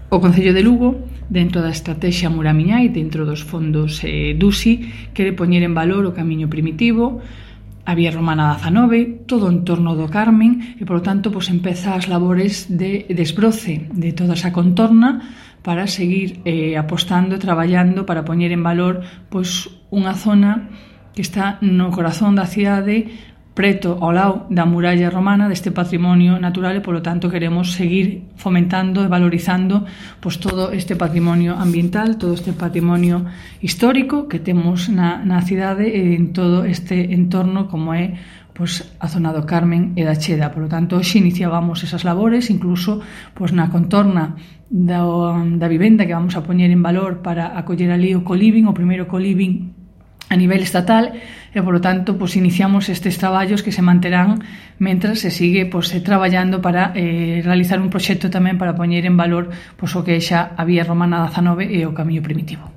O Concello de Lugo, dentro da estrategia Muramiñai, dentro dos fondos DUSI, quere poñer en valor o camiño primitivo, a vía romana da 19, todo o entorno do Carmen, e, polo tanto, empeza as labores de desbroce de toda esa contorna para seguir apostando e traballando para poñer en valor unha zona que está no corazón da cidade, preto ao lado da muralla romana, deste patrimonio natural, e, polo tanto, queremos seguir fomentando e valorizando todo este patrimonio ambiental, todo este patrimonio histórico que temos na cidade e en todo este entorno como é a zona do Carmen e da Cheda. Por lo tanto, hoxe iniciábamos esas labores, incluso na contorna da vivenda que vamos a poñer en valor para acoller ali o coliving, o primeiro coliving a nivel estatal, e, polo tanto, iniciamos estes traballos que se manterán mentras se sigue traballando para realizar un proxecto tamén para poñer en valor o que é xa a vía romana da 19 e o camiño primitivo.